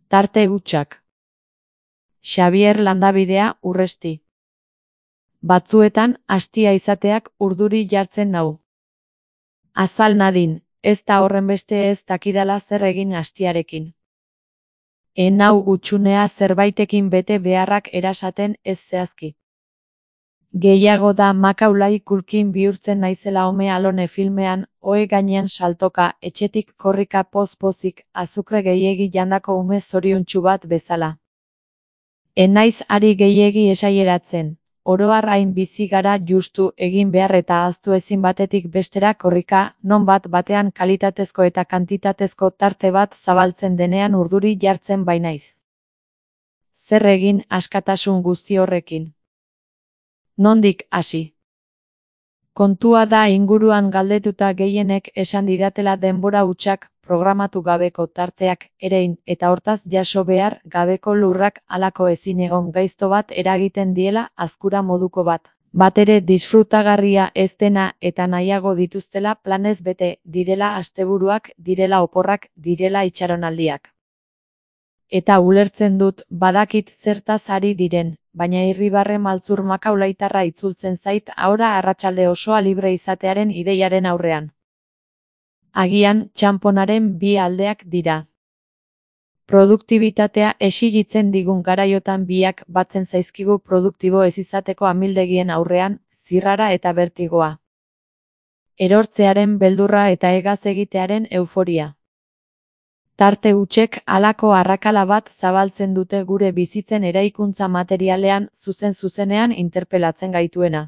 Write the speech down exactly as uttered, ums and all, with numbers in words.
Tarte hutsak. Xabier Landabidea, Urresti. Batzuetan, astia izateak urduri jartzen nau. Azal nadin, ez da horrenbeste ez dakidala zer egin astiarekin. En hau gutxunea zerbaitekin bete beharrak erasaten ez zehazki. Gehiago da makaulai kulkin bihurtzen naizela Ome Alone filmean, ohe gainean saltoka, etxetik korrika poz-pozik, azukre gehiegi jandako ume zoriontsu bat bezala. Enaiz ari gehiegi esaieratzen, oro har hain bizi gara justu egin behar eta ahaztu ezin batetik bestera korrika, non bat batean kalitatezko eta kantitatezko tarte bat zabaltzen denean urduri jartzen bainaiz. Zer egin askatasun guzti horrekin? Nondik hasi? Kontua da inguruan galdetuta gehienek esan didatela denbora hutsak, programatu gabeko tarteak, erein, eta hortaz jaso behar gabeko lurrak halako ezin egon gaizto bat eragiten diela azkura moduko bat. Batere disfrutagarria ez dena eta nahiago dituztela planez bete, direla asteburuak, direla oporrak, direla itxaronaldiak. Eta ulertzen dut, badakit zertaz ari diren, baina irribarre maltzur makaulaitarra itzultzen zait ahora arratsalde osoa libre izatearen ideiaren aurrean. Agian, txanponaren bi aldeak dira. Produktibitatea exigitzen digun garaiotan biak batzen zaizkigu produktibo ez izateko amildegien aurrean, zirrara eta bertigoa. Erortzearen beldurra eta egaz egitearen euforia. Tarte hutsek halako arrakala bat zabaltzen dute gure bizitzen eraikuntza materialean zuzen-zuzenean interpelatzen gaituena.